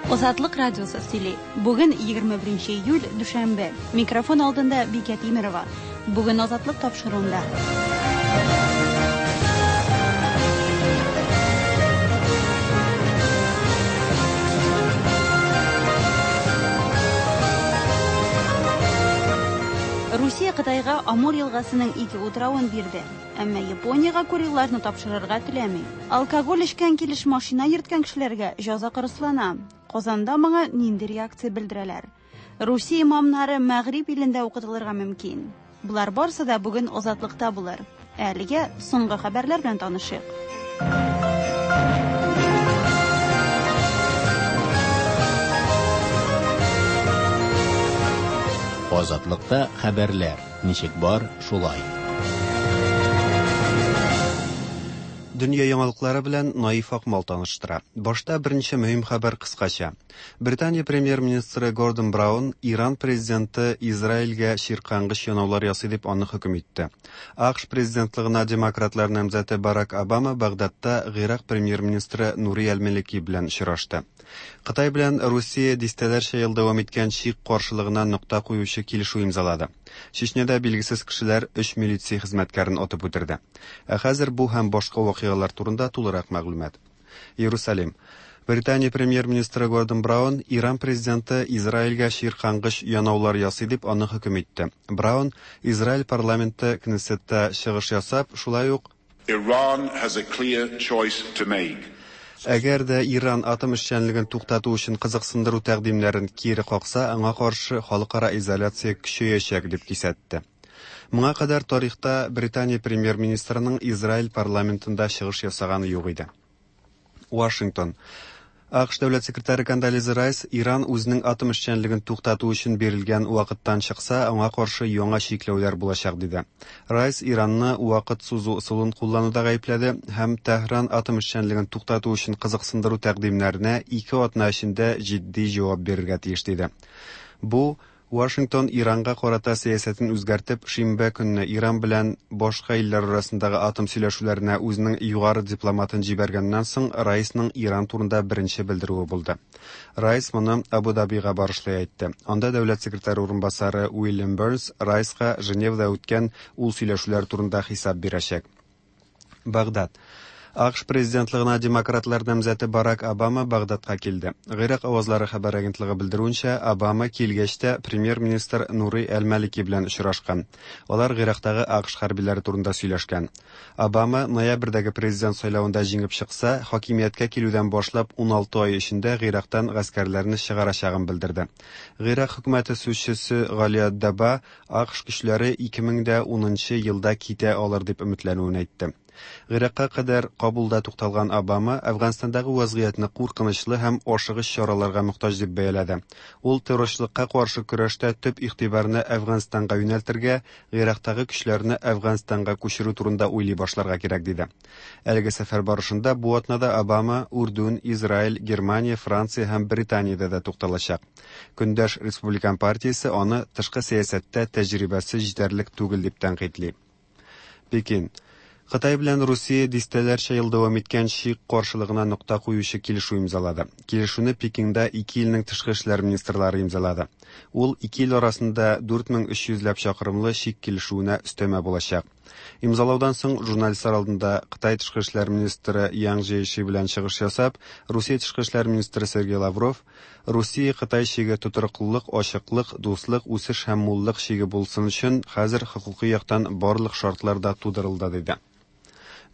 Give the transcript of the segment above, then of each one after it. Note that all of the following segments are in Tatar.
Азатлык радиосы сөйли. Бүген 21 июль, дүшәмбе. Микрофон алдында Бикә Тимерова. Бүген Азатлык тапшыруында. Русия Кытайга Амур елгасының ике утравын бирде. Әмма Япониягә Курилларны тапшырырга теләми. Алкоголь эчкән килеш машина йөрткән кешеләргә җәза кырыслана. Казанда моңа нинди реакция белдерәләр? Русия имамнары Мәгъриб илендә укытылырга мөмкин. Болар барысы да бүген Азатлыкта булыр. Ә әлегә соңгы хәбәрләр белән танышыйк. Азатлыкта хәбәрләр ничек бар, шулай. Дөнья яңалыклары белән Наиф Акмал таныштыра. Башта берничә мөһим хәбәр кыскача. Британия премьер-министры Гордон Браун Иран президенты Израильгә чиркангыч янаулар ясый дип аны хөкем итте. АКШ президентлыгына демократлар намзәте Барак Обама Багдадта Гыйрак премьер-министры Нури әл-Малики белән очрашты. Кытай белән Русия дистәләрчә ел дәвам иткән чик каршылыгына нокта куючы килешү имзалады. Чечняда билгесез кешеләр өч милиция хезмәткәрен атып үтерде. Ә хәзер бу һәм башка вакыйгалар турында тулырак мәгълүмат. Иерусалим. Британия премьер-министры Гордон Браун Иран президенты Израильгә чиркангыч янаулар ясый дип аны хөкем итте. Браун Израиль парламенты Кнессетта чыгыш ясап, шулай ук Iran has a clear choice to make. Әгәр дә Иран атом эшчәнлеген туктату өчен кызыксындыру тәкъдимнәрен кире какса, аңа каршы халыкара изоляция көчәячәк дип кисәтте. Моңа кадәр тарихта Британия премьер-министрының Израиль парламентында чыгыш ясаганы юк иде. Вашингтон. АКШ дәүләт секретаре Кондолиза Райс Иран үзенең атом эшчәнлеген туктату өчен бирелгән вакыттан чыкса, аңа каршы яңа чикләүләр булачак диде. Райс Иранны вакыт сузу ысулын куллануда гаепләде һәм Тәһран атом эшчәнлеген туктату өчен кызыксындыру тәкъдимнәренә 2 атна эчендә җитди җавап бирергә тиеш диде. Бу Вашингтон Иранга карата сәясәтен үзгәртеп, шимбә көнне Иран белән башка илләр арасындагы атом сөйләшүләренә үзенең югары дипломатын җибәргәннән соң Райсның Иран турында беренче белдерүе булды. Райс моны Абу-Дабига барышлый әйтте. Анда дәүләт секретаре урынбасары Уильям Бернс Райска Женевада үткән ул сөйләшүләр турында хисап бирәчәк. Багдад. АКШ президентлыгына демократлар намзәте Барак Обама Багдадка килде. Гыйрак авазлары хәбәр агентлыгы белдерүенчә, Обама килгәч тә премьер-министр Нури әл-Малики белән очрашкан. Алар Гыйрактагы АКШ хәрбиләре турында сөйләшкән. Обама ноябрьдәге президент сайлавында җиңеп чыкса, хакимияткә килүдән башлап 16 ай эчендә Гыйрактан гаскәрләрне чыгарачагын белдерде. Гыйрак хөкүмәте сүзчесе Галия Даба АКШ көчләре 2010 елда китә алыр дип өметләнүен әйтте. Гыйракка кадәр Кабулда тукталган Обама Әфганстандагы вазгыятьне куркынычлы һәм ашыгыч чараларга мохтаҗ дип бәяләде. Ул террорчылыкка каршы көрәштә төп игътибарны Әфганстанга юнәлтергә, Гыйрактагы көчләрне Әфганстанга күчерү турында уйлый башларга кирәк диде. Әлеге сәфәр барышында бу атнада Обама Үрдүн, Израиль, Германия, Франция һәм Британиядә дә тукталачак. Көндәш Республикан партиясе аны тышкы сәясәттә тәҗрибәсе җитәрлек түгел дип тәнкыйтьли. Пекин. Кытай белән Русия дистәләрчә ел дәвам иткән чик каршылыгына нокта куючы килешү имзалады. Килешүне Пекинда ике илнең тышкы эшләр министрлары имзалады. Ул ике ил арасында 4300 ләп чакрымлы чик килешүенә өстәмә булачак. Имзалаудан соң журналистлар алдында Кытай тышкы эшләр министры Ян Жэйши белән чыгыш ясап, Русия тышкы эшләр министры Сергей Лавров Русия-Кытай чиге тотрыклылык, ачыклык, дуслык, үсеш һәм муллык чиге булсын өчен хәзер хокукый яктан барлык шартлар да тудырылды, диде.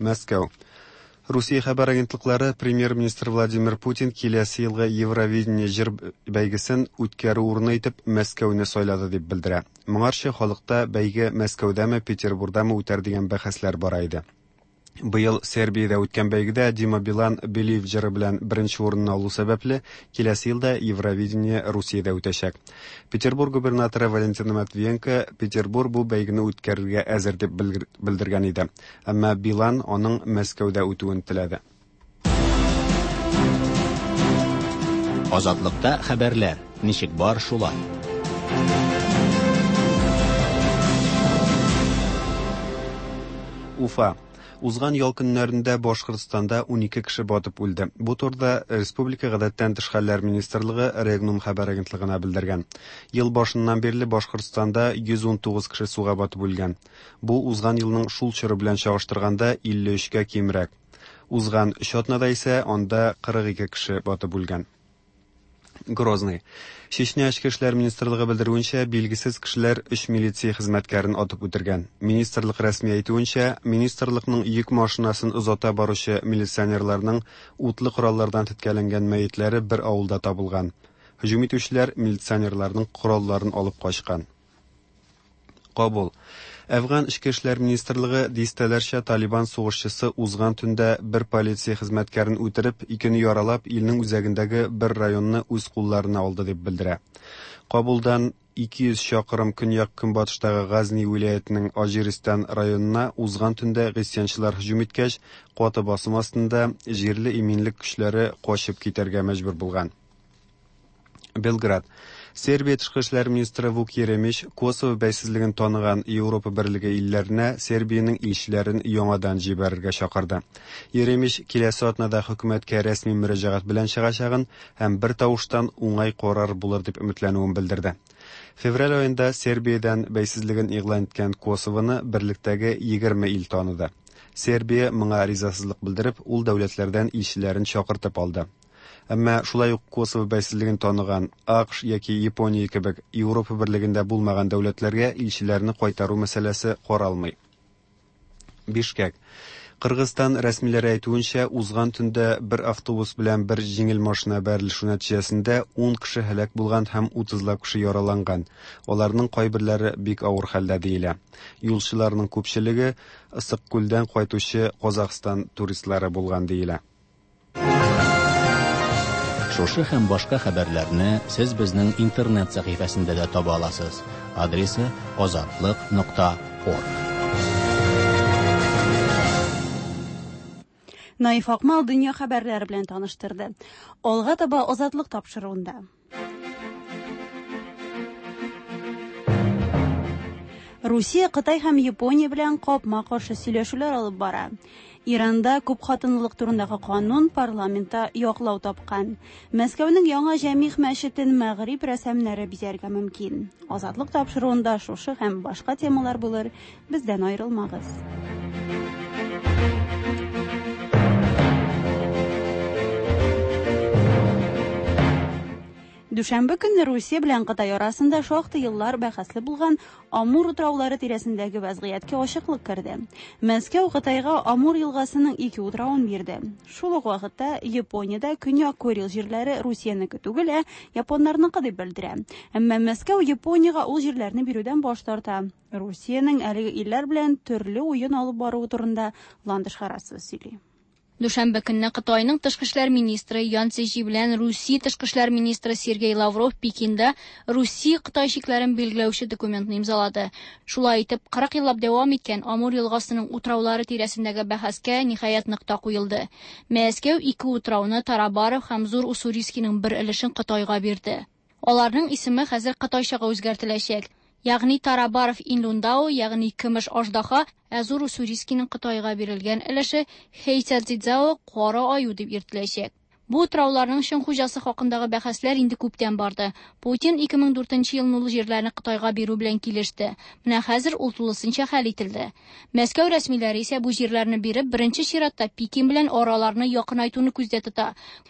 Мәскәү. Русия хәбәр агентлыклары премьер-министр Владимир Путин киләсе елгы Евровидение җыр бәйгесен үткәрү урыны итеп Мәскәүне сайлады дип белдерә. Моңарчы халыкта бәйге Мәскәүдәме, Петербурдамы үтәр дигән бәхәсләр бара иде. Быел Сербиядә үткән бәйгедә Дима Билан Believe җыры белән беренче урынны алу сәбәпле, киләсе елда Евровидение Русиядә үтәчәк. Петербург губернаторы Валентина Матвиенко Петербург бу бәйгене үткәрергә әзер дип белдергән иде. Әмма Билан аның Мәскәүдә үтүен теләде. Азатлыкта хәбәрләр ничек бар, шулай. Уфа. Узган ял көннәрендә Башкортстанда 12 кеше батып үлде. Бу турыда Республика гадәттән тыш хәлләр министрлыгы Регнум хәбәр агентлыгына белдергән. Ел башыннан бирле Башкортстанда 119 кеше суга батып үлгән. Бу узган елның шул чоры белән чагыштырганда 53 кә кимрәк. Узган өч атнада исә анда 42 кеше батып үлгән. Грозный. Чечня Эчке эшләр министрлыгы белдерүенчә, билгесез кешеләр өч милиция хезмәткәрен атып үтергән. Министрлык рәсми әйтүенчә, министрлыкның йөк машинасын озата баручы милиционерларның утлы кораллардан теткәләнгән мәетләре бер авылда табылган. Һөҗүм итүчеләр милиционерларның коралларын алып качкан. Кабул. Әфган эчке эшләр министрлыгы дистәләрчә Талибан сугышчысы узган төндә бер полиция хезмәткәрен үтереп, икене яралап, илнең үзәгендәге бер районны үз кулларына алды дип белдерә. Кабулдан 200 чакрым көньяк-көнбатыштагы Газни вилаятенең Аҗиристан районына узган төндә гыйсьянчылар һөҗүм иткәч, каты басым астында җирле иминлек көчләре качып китәргә мәҗбүр булган. Белград. Сербия тышкы эшләр министры Вук Еремич Косово бәйсезлеген таныган Европа берлеге илләренә Сербиянең илчеләрен яңадан җибәрергә чакырды. Еремич киләсе атнада хөкүмәткә рәсми мөрәҗәгать белән чыгачагын һәм бер тавыштан уңай карар булыр дип өметләнүен белдерде. Февраль аенда Сербиядән бәйсезлеген игълан иткән Косовоны берлектәге 20 ил таныды. Сербия моңа ризасызлык белдереп, ул дәүләтләрдән илчеләрен чакыртып алды. Әмма шулай ук Косово бәйсезлеген таныган АКШ яки Япония кебек Европа берлегендә булмаган дәүләтләргә илчеләрне кайтару мәсьәләсе каралмый. Бишкек. Кыргызстан рәсмиләре әйтүенчә, узган төндә бер автобус белән бер җиңел машина бәрелешү нәтиҗәсендә 10 кеше һәлак булган һәм 30лап кеше яраланган. Аларның кайберләре бик авыр хәлдә диелә. Юлчыларның күпчелеге Ысык-Күлдән кайтучы Казахстан туристлары булган диелә. Шушы һәм башка хәбәрләрне сез безнең интернет сәхифәсендә дә таба аласыз. Адресы azatliq.org. Наиф Акмал дөнья хәбәрләре белән таныштырды. Алга таба Азатлык тапшыруында. Русия Кытай һәм Япония белән капма-каршы сөйләшүләр алып бара. Иранда күп хатынлылык турындагы канун парламентта яклау тапкан. Мәскәүнең яңа Җәмигъ мәчетен мәгъриб рәсемнәре бизәргә мөмкин. Азатлык тапшыруында шушы һәм башка темалар булыр. Бездән аерылмагыз. Дүшәмбе көнне Русия белән Кытай арасында шактый еллар бәхәсле булган Амур утраулары тирәсендәге вәзгыятькә ачыклык керде. Мәскәү Кытайга Амур елгасының ике утравын бирде. Шул ук вакытта Япониядә Көньяк Курил җирләре Русиянеке түгел, ә японнарныкы дип белдерә. Әмма Мәскәү Япониягә ул җирләрне бирүдән баш тарта. Русиянең әлеге илләр белән төрле уен алып баруы турында Ландыш Харасова сөйли. Дүшәмбе көнне Кытайның тышкы эшләр министры Ян Цзэжи белән Русия тышкы эшләр министры Сергей Лавров Пекинда Русия-Кытай чикләрен билгеләүче документны имзалады. Шулай итеп, 40 еллап дәвам иткән Амур елгасының утраулары тирәсендәге бәхәскә ниһаять нокта куелды. Мәскәү ике утрауны Тарабаров һәм Зур Уссурийскийның бер өлешен Кытайга бирде. Аларның исеме хәзер кытайчага үзгәртеләчәк. Ягъни Тарабаров Инлундао, ягъни Көмеш Аждаһа, ә Зур Уссурийскийның Кытайга бирелгән өлеше Хэйцзяцзао Кара аю дип йөртеләчәк. Бу утрауларның чын хуҗасы хакындагы бәхәсләр инде күптән барды. Путин 2004 елны ул җирләрне Кытайга бирү белән килеште. Менә хәзер ул тулысынча хәл ителде. Мәскәү рәсмиләре исә бу җирләрне биреп, беренче чиратта Пекин белән араларны якынайтуны күздә тота.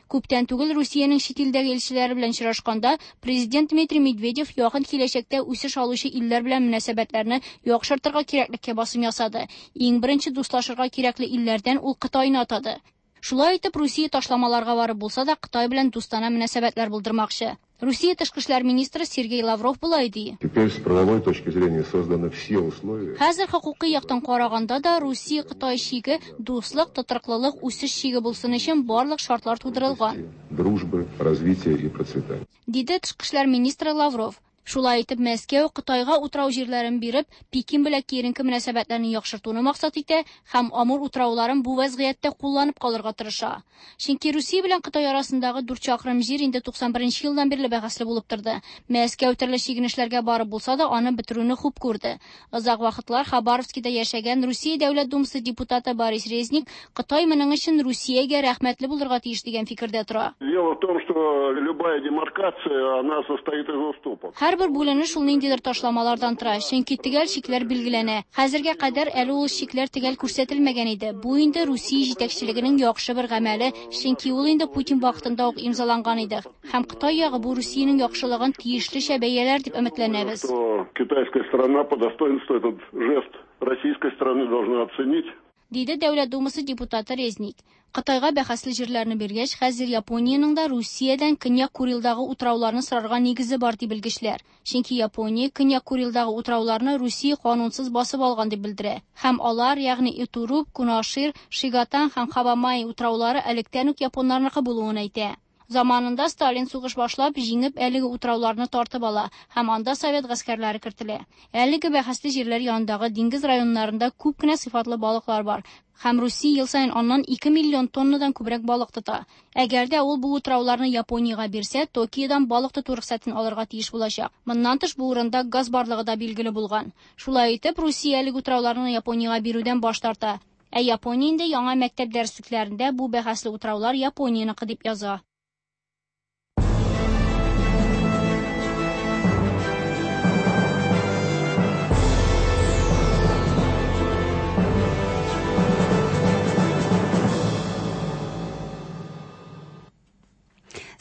Күптән түгел Русиянең чит илдәге илчеләре белән очрашканда президент Дмитрий Медведев якын киләчәктә үсеш алучы илләр белән мөнәсәбәтләрне яхшыртырга кирәклеккә басым ясады. Иң беренче дуслашырга кирәкле илләрдән ул Кытайны атады. Шулай итеп, Русия ташламаларга барып булса да, Кытай белән дустана мөнәсәбәтләр булдырмакчы. Русия тышкы эшләр министры Сергей Лавров болай ди. Теперь с правовой точки зрения созданы все условия. Хәзер хокукый яктан караганда да Русия-Кытай чиге дуслык, тотрыклылык, үсеш чиге булсын өчен барлык шартлар тудырылган. Дружбы, развития и процветания. Диде тышкы эшләр министры Лавров. Шулай итеп, Мәскәү Кытайга утрау җирләрен биреп, Пекин белән киеренке мөнәсәбәтләрне яхшыртуны максат итә һәм Амур утрауларын бу вәзгыятьтә кулланып калырга тырыша. Чөнки Русия белән Кытай арасындагы 4 чакрым җир инде 91 елдан бирле бәхәсле булып торды. Мәскәү төрле чигенешләргә барып булса да, аны бетерүне хуп күрде. Озак вакытлар Хабаровскида яшәгән Русия Дәүләт Думасы депутаты Борис Резник Кытай моның өчен Русиягә рәхмәтле булырга тиеш дигән фикердә тора. Дело в том, что любая демаркация, она состоит из уступок. Һәрбер бүленеш ул ниндидер ташламалардан тора, чөнки төгәл чикләр билгеләнә. Хәзергә кадәр әле ул чикләр төгәл күрсәтелмәгән иде. Бу инде Русия җитәкчелегенең яхшы бер гамәле, чөнки ул инде Путин вакытында ук имзаланган иде. Һәм Кытай ягы бу Русиянең яхшылыгын тиешлечә бәяләр дип өметләнәбез. Что китайская сторона по достоинству этот жест российской стороны должна оценить. Диде Дәүләт Думасы депутаты Резник. Кытайга бәхәсле җирләрне биргәч, хәзер Япониянең дә Русиядән Көньяк Курилдагы утрауларны сорарга нигезе бар ди белгечләр. Чөнки Япония Көньяк Курилдагы утрауларны Русия канунсыз басып алган дип белдерә. Һәм алар, ягъни Итуруп, Кунашир, Шигатан һәм Хабамай утраулары электән үк японнарныкы булуын әйтә. Заманында Сталин сугыш башлап, җиңеп әлеге утрауларны тартып ала һәм анда совет гаскәрләре кертелә. Әлеге бәхәсле җирләр янындагы диңгез районнарында күп кенә сыйфатлы балыклар бар һәм Русия ел саен аннан 2 миллион тоннадан күбрәк балык тота. Әгәр дә ул бу утрауларны Япониягә бирсә, Токиодан балык тоту рөхсәтен алырга тиеш булачак. Моннан тыш бу урында газ барлыгы да билгеле булган. Шулай итеп, Русия әлеге утрауларны Япониягә бирүдән баш тарта. Ә Япония инде яңа мәктәп дәреслекләрендә бу бәхәсле утраулар Японияныкы дип яза.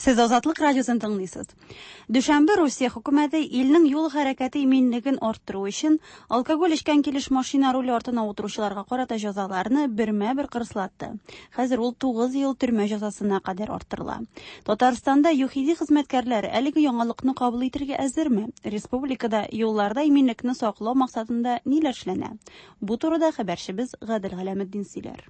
Сез Азатлык радиосын тыңлыйсыз. Дүшәмбе Русия хөкүмәте илнең юл хәрәкәте иминлеген арттыру өчен алкоголь эчкән килеш машина руле артына утыручыларга карата җәзаларны бермә-бер кырыслатты. Хәзер ул 9 ел төрмә җәзасына кадәр арттырыла. Татарстанда ЮХИДИ хезмәткәрләре әлеге яңалыкны кабул итәргә әзерме? Республикада юлларда иминлекне саклау максатында ниләр эшләнә? Бу турыда хәбәрчебез Гадел Галәметдин сөйләр.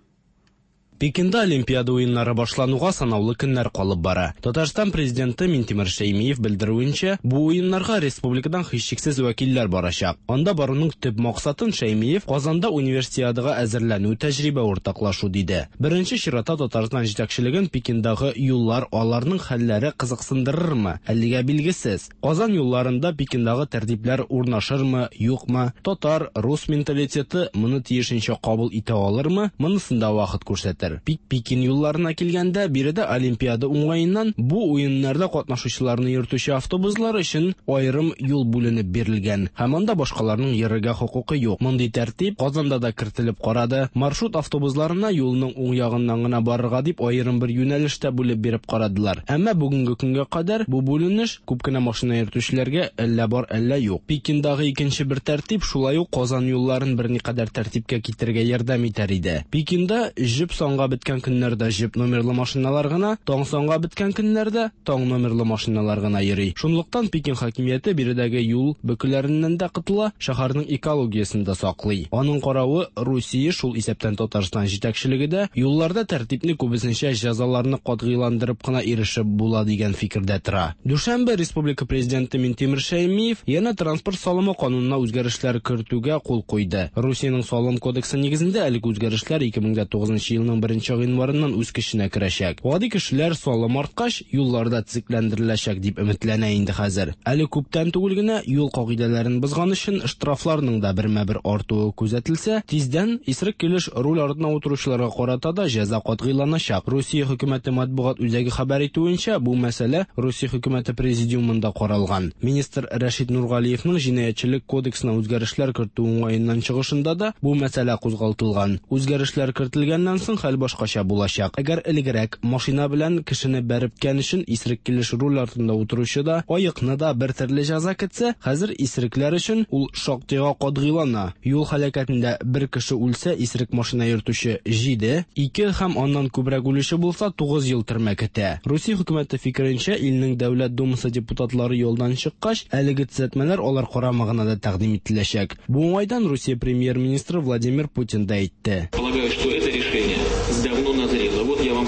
Пекинда Олимпиада уеннары башлануга санаулы көннәр калып бара. Татарстан президенты Минтимер Шәймиев белдерүенчә, бу уеннарга республикадан һичшиксез вәкилләр барачак. Анда баруның төп максатын Шәймиев Казанда универсиадага әзерләнү, тәҗрибә уртаклашу диде. Беренче чиратта Татарстан җитәкчелеген Пекиндагы юллар, аларның хәлләре кызыксындырырмы? Әлегә билгесез. Казан юлларында Пекиндагы тәртипләр урнашырмы, юкмы? Татар, рус менталитеты моны тиешенчә кабул итә алырмы? Монысын да вакыт күрсәтер. Пекин юлларына килгәндә, биредә Олимпиада уңаеннан бу уеннарда катнашучыларны йөртүче автобуслар өчен аерым юл бүленеп бирелгән һәм анда башкаларның йөрергә хокукы юк. Мондый тәртип Казанда да кертелеп карады. Маршрут автобусларына юлның уң ягыннан гына барырга дип аерым бер юнәлештә бүлеп биреп карадылар. Әмма бүгенге көнгә кадәр бу бүленеш күп кенә машина йөртүчеләргә әллә бар, әллә юк. Пекиндагы икенче бер тәртип шулай ук Казан юлларын берникадәр тәртипкә китерергә ярдәм итәр иде. Пекинда җеп санга беткән көннәрдә җеп номерлы машиналар гына, таң санга беткән көннәрдә таң номерлы машиналар гына йөри. Шунлыктан Пекин хакимияте биредәге юл бөкеләреннән дә котыла, шәһәрнең экологиясен дә саклый. Аның каравы Русия, шул исәптән Татарстан җитәкчелеге дә юлларда тәртипне күбесенчә җәзаларны катгыйландырып кына ирешеп була дигән фикердә тора. Дүшәмбе Республика президенты Минтимер Шәймиев янә транспорт салымы канунына үзгәрешләр кертүгә кул куйды. Русиянең салым кодексы нигезендә әлеге үзгәрешләр 2009 елның 1 гыйнварыннан үз көченә керәчәк. Гади кешеләр салым арткач, юлларда төзекләндереләчәк дип өметләнә инде хәзер. Әле күптән түгел генә юл кагыйдәләрен бозган өчен штрафларның да бермә-бер артуы күзәтелсә, тиздән исерек килеш руль артына утыручыларга карата да җәза катгыйланачак. Русия хөкүмәте матбугат үзәге хәбәр итүенчә, бу мәсьәлә Русия хөкүмәте президиумында каралган. Министр Рәшит Нургалиевның җинаятьчелек кодексына үзгәрешләр кертү уңаеннан чыгышында да бу мәсьәлә кузгалтылган. Үзгәрешләр кертелгәннән соң хәл башкача булачак. Әгәр элегрәк машина белән кешене бәреп киткән өчен исерек килеш руль артында утыручы да, аекны да бер төрле җәза көтсә, хәзер исерекләр өчен ул шактыйга катгыйлана. Юл һәлакәтендә бер кеше үлсә, исерек машина йөртүче 7, 2 һәм аннан күбрәк үлүче булса 9 ел төрмә көтә. Русия хөкүмәте фикеренчә, илнең Дәүләт Думасы депутатлары юлдан чыккач, әлеге төзәтмәләр алар карамагына да тәкъдим ителәчәк. Бу уңайдан Русия премьер-министры Владимир Путин да әйтте. Полагаю, что это решение давно назрело. Вот я вам.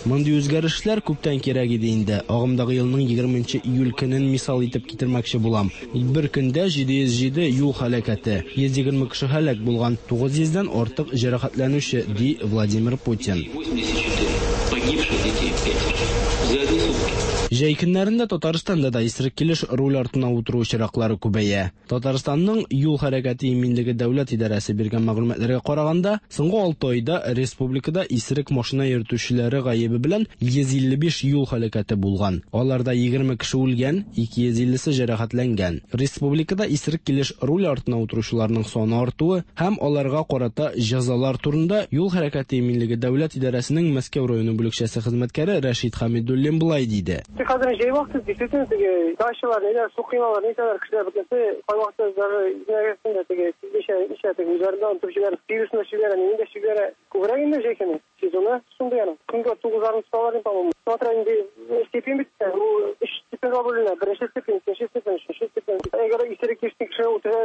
Мондый үзгәрешләр күптән кирәк иде инде. Агымдагы елның 20 июль көнен мисал итеп китермәкче булам. Бер көндә 707 юл һәлакәте, 120 кеше һәлак булган, 900 дән артык җәрәхәтләнүче, ди Владимир Путин. Погибших детей 5 за одни сутки. Җәй көннәрендә Татарстанда да исерек килеш руль артына утыру очраклары күбәя. Татарстанның юл хәрәкәте иминлеге дәүләт идарәсе биргән мәгълүматларга караганда, соңгы 6 айда республикада исерек машина йөртүчеләре гаебе белән 155 юл һәлакәте булган. Аларда 20 кеше үлгән, 250-се җәрәхәтләнгән. Республикада исерек килеш руль артына утыручыларның саны артуы һәм аларга карата җәзалар турында юл хәрәкәте иминлеге дәүләт идарәсенең Мәскәү районы бүлекчәсе хезмәткәре Рәшит Хәмидуллин болай диде. Хәзер җәй вакыты действительно теге дачалар, ниләр, су коймалар, нитәләр, кешеләр бөтенесе кайвакытта даже нәгәсендә теге ничә ничә теге үзләрендә онытып җибәрә, пивосын җибәрә, нинди дә җибәрә. Күбрәк инде җәй көне сезоны шундый аның. Көнгә 9,5 тоталар инде, по-моему. Смотря инде степень бит, ул өч степеньгә бүленә. Беренче степень, икенче степень, өченче степень. Әгәр исерек кеше кеше үтерә,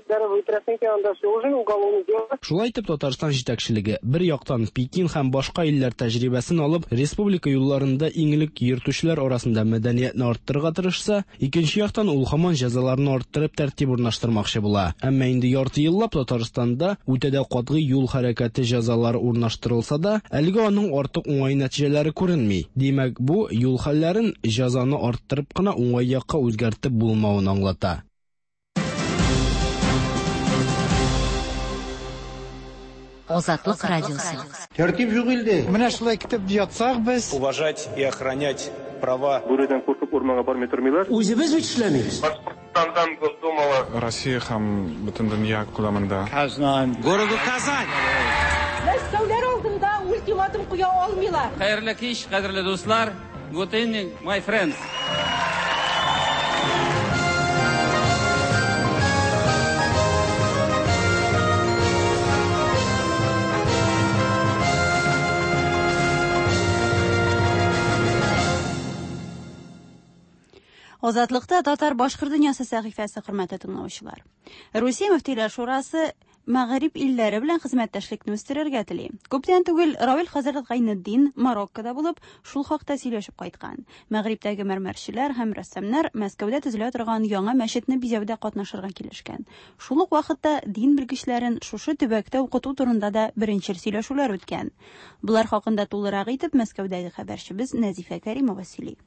бәреп үтерәсең икән, анда все уже уголовное дело. Шулай итеп, Татарстан җитәкчелеге бер яктан Пекин һәм башка илләр тәҗрибәсен алып, республика юлларында иң элек йөртүчеләр арасында мәдәниятне арттырырга тырышса, икенче яктан ул һаман җәзаларны арттырып тәртип урнаштырмакчы була. Әмма инде ярты еллап Татарстанда үтә дә катгый юл хәрәкәте җәзалары урнаштырылса да, әлегә аның артык уңай нәтиҗәләре күренми. Димәк, бу юл хәлләрен җәзаны арттырып кына уңай якка үзгәртеп булмавын аңлата. Азатлык радиосы. Тәртип юк илдә. Менә шулай көтеп ятсак без. Уважать и охранять права. Бүредән куркып урманга бармый тормыйлар. Үзебез бит эшләмибез. Башкортстандан Госдумала. Россия һәм бөтен дөнья күләмендә. Казан. Городу Казань. Мәскәүләр алдында ультиматум куя алмыйлар. Хәерле кич, кадерле дуслар. Good evening, my friends. Азатлыкта татар башкорт дөньясы сәхифәсе хөрмәтле тыңлаучылар. Русия мөфтиләр шурасы Мәгъриб илләре белән хезмәттәшлекне үстерергә тели. Күптән түгел Равил хәзрәт Гайнетдин Мароккода булып, шул хакта сөйләшеп кайткан. Мәгърибтәге мәрмәрчеләр һәм рәссамнар Мәскәүдә төзелә торган яңа мәчетне бизәүдә катнашырга килешкән. Шул ук вакытта дин белгечләрен шушы төбәктә укыту турында да беренчел сөйләшүләр үткән. Болар хакында тулырак итеп Мәскәүдәге хәбәрчебез Нәзифә Кәримова сөйли.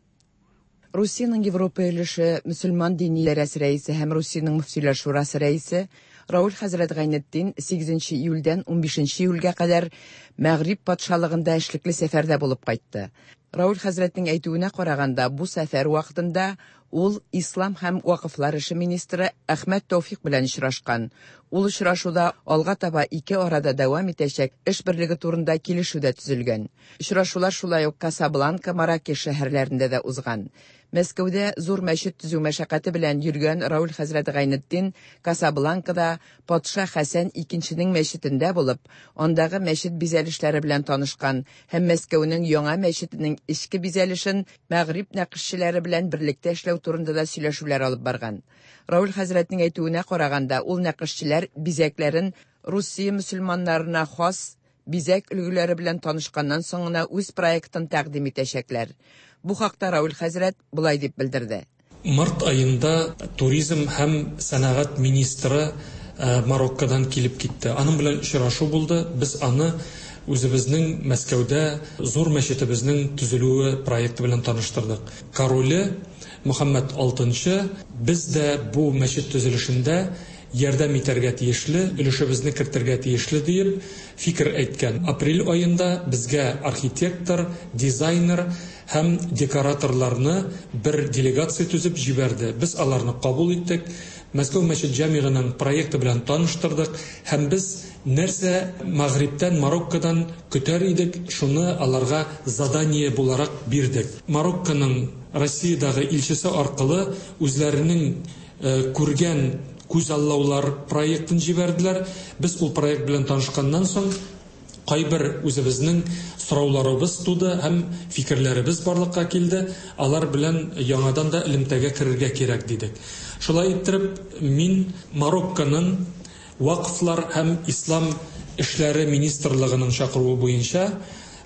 Русиянең Европа өлеше мөселман дини идарәсе рәисе һәм Русиянең мөфтиләр шурасы рәисе Рауль хәзрәт Гайнетдин 8 июльдән 15 июльгә кадәр Мәгъриб патшалыгында эшлекле сәфәрдә булып кайтты. Рауль хәзрәтнең әйтүенә караганда, бу сәфәр вакытында ул ислам һәм вакыфлар эше министры Әхмәт Тәүфик белән очрашкан. Ул очрашуда алга таба ике арада дәвам итәчәк эш берлеге турында килешү дә төзелгән. Очрашулар шулай ук Касабланка, Маракеш шәһәрләрендә дә узган. Мәскәүдә зур мәчет төзү мәшәкате белән йөргән Рауль хәзрәт Гайнетдин Касабланкада патша Хәсән икенченең мәчетендә булып, андагы мәчет бизәлешләре белән танышкан һәм Мәскәүнең яңа мәчетенең эчке бизәлешен Мәгъриб нәкышчеләре белән берлектә эшләү турында да сөйләшүләр алып барган. Рауль хәзрәтнең әйтүенә караганда, ул нәкышчеләр бизәкләрен Русия мөселманнарына хас бизәк өлгеләре белән танышканнан соң гына үз проектын тәкъдим итәчәкләр. Бу хакта Рауль хәзрәт болай дип белдерде. Март аенда туризм һәм сәнәгать министры Мароккодан килеп китте. Аның белән очрашу булды. Без аны үзебезнең Мәскәүдә зур мәчетебезнең төзелүе проекты белән таныштырдык. Короле Мөхәммәд VI без дә бу мәчет төзелешендә ярдәм итәргә тиешле, өлешебезне кертергә тиешле диеп фикер әйткән. Апрель аенда безгә архитектор, дизайнер һәм декораторларны бер делегация төзеп җибәрде. Без аларны кабул иттек. Мәскәү мәчет җәмигының проекты белән таныштырдык һәм без нәрсә Мәгърибтән, Мароккодан көтәр идек, шуны аларга задание буларак бирдек. Марокконың Россиядәге илчесе аркылы үзләренең күргән күзаллаулар проектын җибәрделәр. Без ул проект белән танышканнан соң кайбер үзебезнең сорауларыбыз туды һәм фикерләребез барлыкка килде. Алар белән яңадан да элемтәгә керергә кирәк дидек. Шулай иттереп, мин Марокконың вакыфлар һәм ислам эшләре министрлыгының чакыруы буенча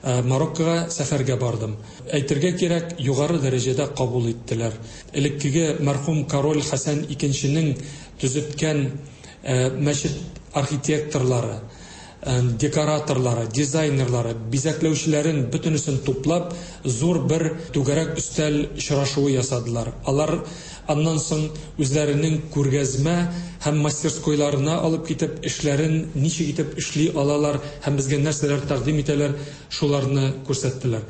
Мароккога сәфәргә бардым. Әйтергә кирәк, югары дәрәҗәдә кабул иттеләр. Элеккеге мәрхүм король Хәсән икенченең төзеткән мәчет архитекторлары, декораторлары, дизайнерлары, бизәкләүчеләрен бөтенесен туплап, зур бер түгәрәк өстәл очрашуы ясадылар. Алар аннан соң үзләренең күргәзмә һәм мастерскойларына алып китеп, эшләрен ничек итеп эшли алалар һәм безгә нәрсәләр тәкъдим итәләр, шуларны күрсәттеләр.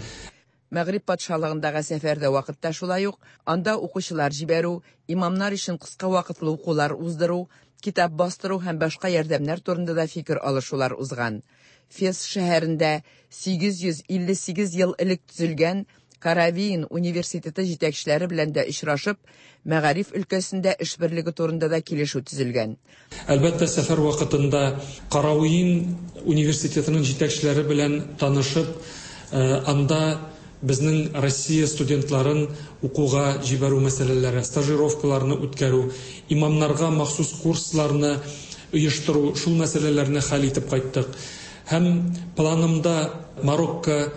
Мәгъриб патшалыгындагы сәфәрдә вакытта шулай ук анда укучылар җибәрү, имамнар өчен кыска вакытлы укулар уздыру, китап бастыру һәм башка ярдәмнәр турында да фикер алышулар узган. Фес шәһәрендә 858 ел элек төзелгән Каравиин университеты җитәкчеләре белән дә очрашып, мәгариф өлкәсендә эш берлеге турында да килешү төзелгән. Әлбәттә, сәфәр вакытында Каравиин университетының җитәкчеләре белән танышып, анда безнең Россия студентларын укуга җибәрү мәсьәләләре, стажировкаларны үткәрү, имамнарга махсус курсларны оештыру, шул мәсьәләләрне хәл итеп кайттык. Һәм планымда Марокко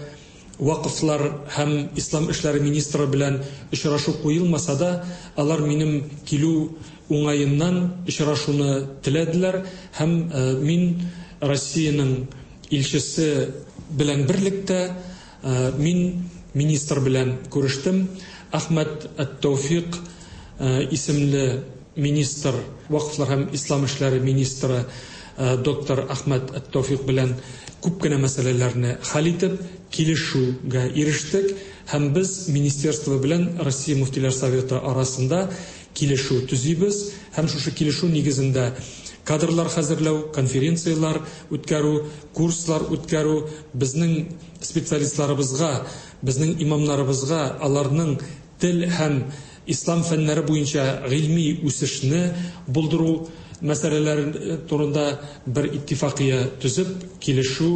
вакыфлар һәм ислам эшләре министры белән очрашу куелмаса да, алар минем килү уңаеннан очрашуны теләделәр һәм мин Россиянең илчесе белән берлектә мин министр белән күрештем. Әхмәт Әт-Тәүфик исемле министр, вакыфлар һәм ислам эшләре министры доктор Әхмәт Әт-Тәүфик белән күп кенә мәсьәләләрне хәл итеп, килешүгә ирештек һәм без министерство белән Россия Мөфтиләр Советы арасында килешү төзибез һәм шушы килешү нигезендә кадрлар хәзерләү, конференцияләр үткәрү, курслар үткәрү, безнең специалистларыбызга, безнең имамнарыбызга аларның тел һәм ислам фәннәре буенча гыйльми үсешне булдыру мәсьәләләре турында бер иттифакия төзеп, килешү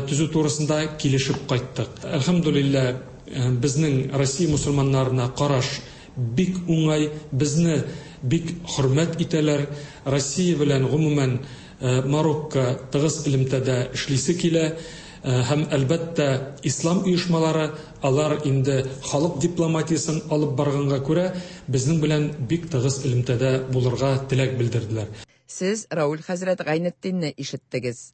төзү турысында килешеп кайттык. Әлхәмдүлилләһ, безнең Россия мусульманнарына караш бик уңай, безне бик хөрмәт итәләр. Россия белән гомумән Марокко тыгыз элемтәдә эшлисе килә. Һәм әлбәттә ислам оешмалары алар инде халык дипломатиясен алып барганга күрә безнең белән бик тыгыз элемтәдә булырга теләк белдерделәр. Сез Рауль хәзрәт Гайнетдинне ишеттегез.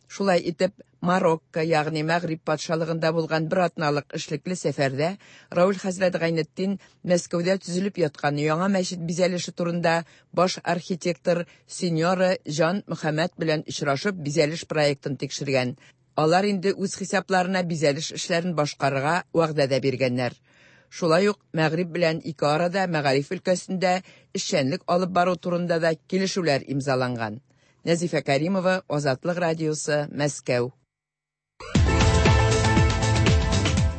Шулай итеп, Марокко, ягъни Мәгъриб патшалыгында булган бер атналык эшлекле сәфәрдә Рауль хәзрәт Гайнетдин Мәскәүдә төзелеп яткан яңа мәчет бизәлеше турында баш архитектор сеньора Җан Мөхәммәд белән очрашып бизәлеш проектын тикшергән. Алар инде үз хисапларына бизәлеш эшләрен башкарырга вәгъдә дә биргәннәр. Шулай ук Мәгъриб белән ике арада мәгариф өлкәсендә эшчәнлек алып бару турында да килешүләр имзаланган. Нәзифә Каримова, Азатлык радиосы, Мәскәү.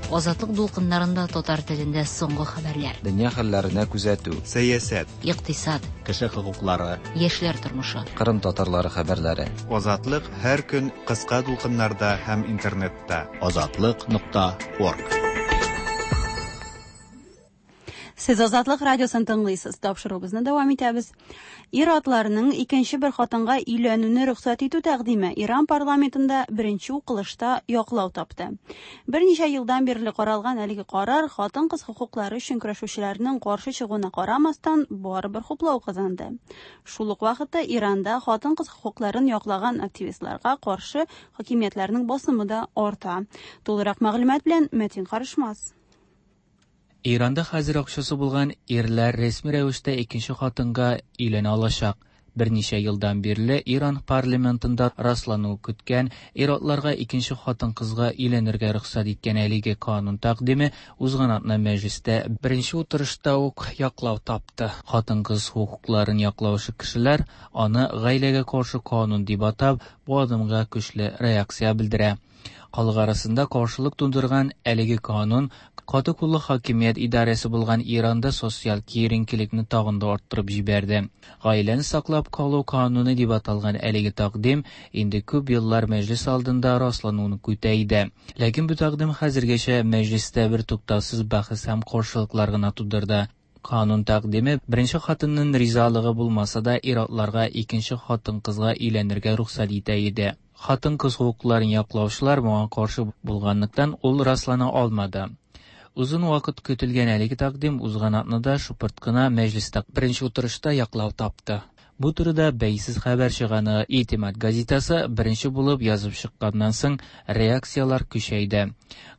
Азатлык дулкыннарында татар телендә соңгы хәбәрләр. Дөнья хәлләренә күзәтү. Сәясәт. Икътисад. Кеше хокуклары. Яшьләр тормышы. Кырым татарлары хәбәрләре. Азатлык һәр көн кыска дулкыннарда һәм интернетта. Азатлык.орг. Сез Азатлык радиосын тыңлыйсыз. Тапшыруыбызны дәвам итәбез. Ир-атларның икенче бер хатынга өйләнүне рөхсәт итү тәкъдиме Иран парламентында беренче укылышта яклау тапты. Берничә елдан бирле каралган әлеге карар хатын-кыз хокуклары өчен көрәшүчеләрнең каршы чыгуына карамастан барыбер хуплау казанды. Шул ук вакытта Иранда хатын-кыз хокукларын яклаган активистларга каршы хакимиятләрнең басымы да арта. Тулырак мәгълүмат белән Мәтин Карышмас. Иранда хәзер акчасы булган ирләр рәсми рәвештә икенче хатынга өйләнә алачак. Берничә елдан бирле Иран парламентында раслану көткән ир-атларга икенче хатын-кызга өйләнергә рөхсәт иткән әлеге канун тәкъдиме узган атна мәҗлестә беренче утырышта ук яклау тапты. Хатын-кыз хокукларын яклаучы кешеләр аны гаиләгә каршы канун дип атап, бу адымга көчле реакция белдерә. Халык арасында каршылык тудырган әлеге канун каты куллы хакимият идарәсе булган Иранда социаль киеренкелекне тагын да арттырып җибәрде. Гаиләне саклап калу кануны дип аталган әлеге тәкъдим инде күп еллар мәҗлес алдында раслануны көтә иде. Ләкин бу тәкъдим хәзергәчә мәҗлестә бер туктаусыз бәхәс һәм каршылыклар гына тудырды. Канун тәкъдиме беренче хатынның ризалыгы булмаса да ир-атларга икенче хатын-кызга өйләнергә рөхсәт итә иде. Хатын-кыз хокукларын яклаучылар моңа каршы булганлыктан, ул раслана алмады. Озын вакыт көтелгән әлеге тәкъдим узган атнада шыпырт кына Мәҗлестә беренче утырышта яклау тапты. Бу турыда бәйсез хәбәр чыганагы Итимад газетасы беренче булып язып чыкканнан соң реакцияләр көчәйде.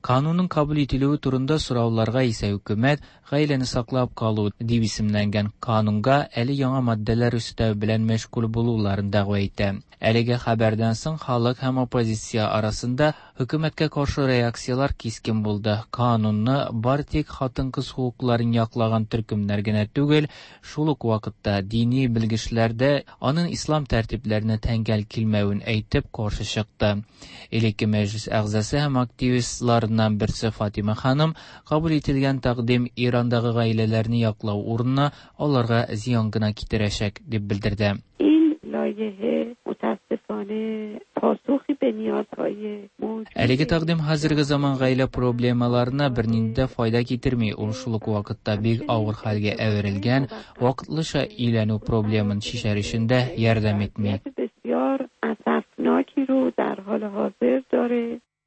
Канунның кабул ителүе турында сорауларга исә хөкүмәт Гаиләне саклап калу дип исемләнгән канунга әле яңа маддәләр өстәү белән мәшгуль булуларын дәгъва итә. Әлеге хәбәрдән соң халык һәм оппозиция арасында хөкүмәткә каршы реакцияләр кискен булды. Канунны бары тик хатын-кыз хокукларын яклаган төркемнәр генә түгел, шул ук вакытта дини белгечләр дә аның ислам тәртипләренә тәңгәл килмәвен әйтеп каршы чыкты. Элекке мәҗлес әгъзасы һәм активистларыннан берсе Фатима ханым кабул ителгән тәкъдим Ирандагы гаиләләрне яклау урынына аларга зыян гына китерәчәк, дип белдерде. Әлеге тәкъдим хәзерге заман гаилә проблемаларына бернинди дә файда китерми, ул шул ук вакытта бик авыр хәлгә әверелгән вакытлыча өйләнү проблемын чишәр өчен дә ярдәм итми.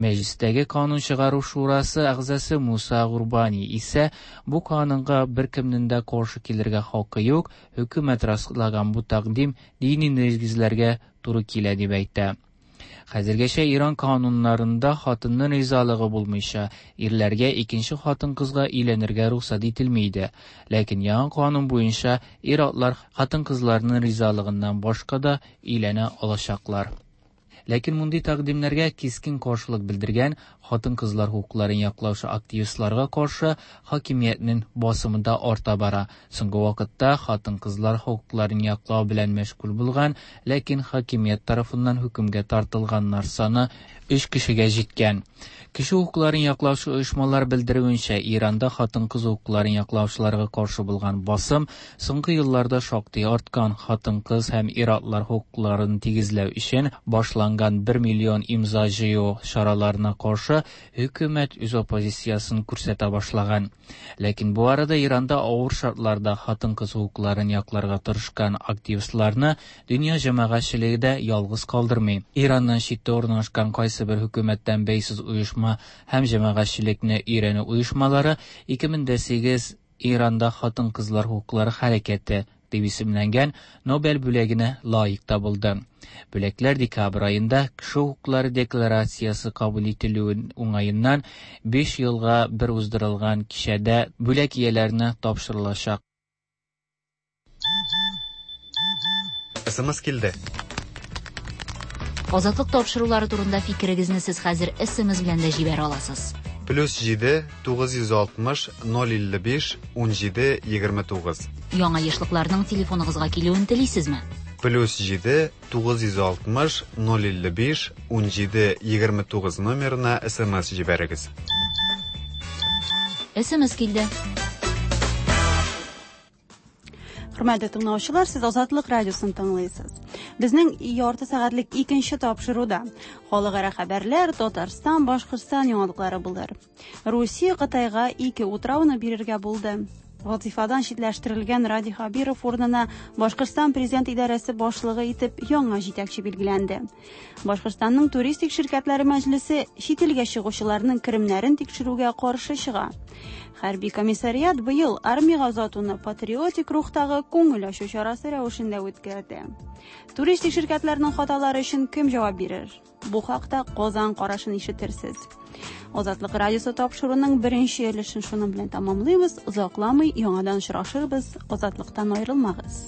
Мәҗлестәге Канун чыгару шурасы әгъзасы Муса Гурбани исә бу канунга беркемнең дә каршы килергә хакы юк, хөкүмәт раслаган бу тәкъдим дини нигезләргә туры килә дип әйтә. Хәзергәчә Иран кануннарында хатынның ризалыгы булмыйча, ирләргә икенче хатын-кызга өйләнергә рөхсәт ителми иде. Ләкин яңа канун буенча ир-атлар хатын-кызларның ризалыгыннан башка да өйләнә алачаклар. Ләкин мондый тәкъдимнәргә кискен каршылык белдергән хатын-кызлар хокукларын яклаучы активистларга каршы хакимиятнең басымы да арта бара. Соңгы вакытта хатын-кызлар хокукларын яклау белән мәшгуль булган, ләкин хакимият тарафыннан хөкемгә тартылганнар саны өч кешегә җиткән. Кеше хокукларын яклаучы оешмалар белдерүенчә, Иранда хатын-кыз хокукларын яклаучыларга каршы булган басым соңгы елларда шактый арткан. Хатын-кыз һәм ир-атлар хокукларын тигезләү өчен башланган 1 миллион имза җыю чараларына каршы хөкүмәт үз оппозициясен күрсәтә башлаган. Ләкин бу арада Иранда авыр шартларда хатын-кыз хокукларын якларга тырышкан активистларны дөнья җәмәгатьчелеге дә ялгыз калдырмый. Ираннан читтә урнашкан кайсыбер хөкүмәттән бәйсез оешма һәм җәмәгатьчелекне өйрәнү оешмалары 2008 Иранда хатын-кызлар хокуклары хәрәкәте дип исемләнгән Нобель бүләгенә лаек табылды. Бүләкләр декабрь аенда Кеше хокуклары декларациясе кабул ителүе уңаеннан 5 елга бер уздырылган кичәдә бүләк ияләренә тапшырылачак. СМС килде. Азатлык тапшырулары турында фикерегезне сез хәзер СМС белән дә җибәрә аласыз. Плюс 7 960 055 17 29. Яңа ешлыкларның телефоныгызга килүен телисезме? Плюс 7 960 055 17 29 номерына СМС җибәрегез. СМС килде. Хөрмәтле тыңлаучылар, сез Азатлык радиосын тыңлыйсыз. Безнең ярты сәгатьлек икенче тапшыруда халыкара хәбәрләр, Татарстан, Башкортстан яңалыклары булыр. Русия Кытайга ике утрауны бирергә булды. Вазифадан читләштерелгән Радий Хабиров урынына Башкортстан президент идарәсе башлыгы итеп яңа җитәкче билгеләнде. Башкортстанның туристик ширкәтләре мәҗлесе чит илгә чыгучыларның керемнәрен тикшерүгә каршы чыга. Хәрби комиссариат быел армиягә озатуны патриотик рухтагы күңел ачу чарасы рәвешендә үткәрде. Туристик ширкәтләрнең хаталары өчен кем җавап бирер? Бу хакта Казан карашын ишетерсез. Азатлык радиосы тапшыруының беренче өлешен шуның белән тәмамлыйбыз. Озакламый яңадан очрашырбыз. Азатлыктан аерылмагыз.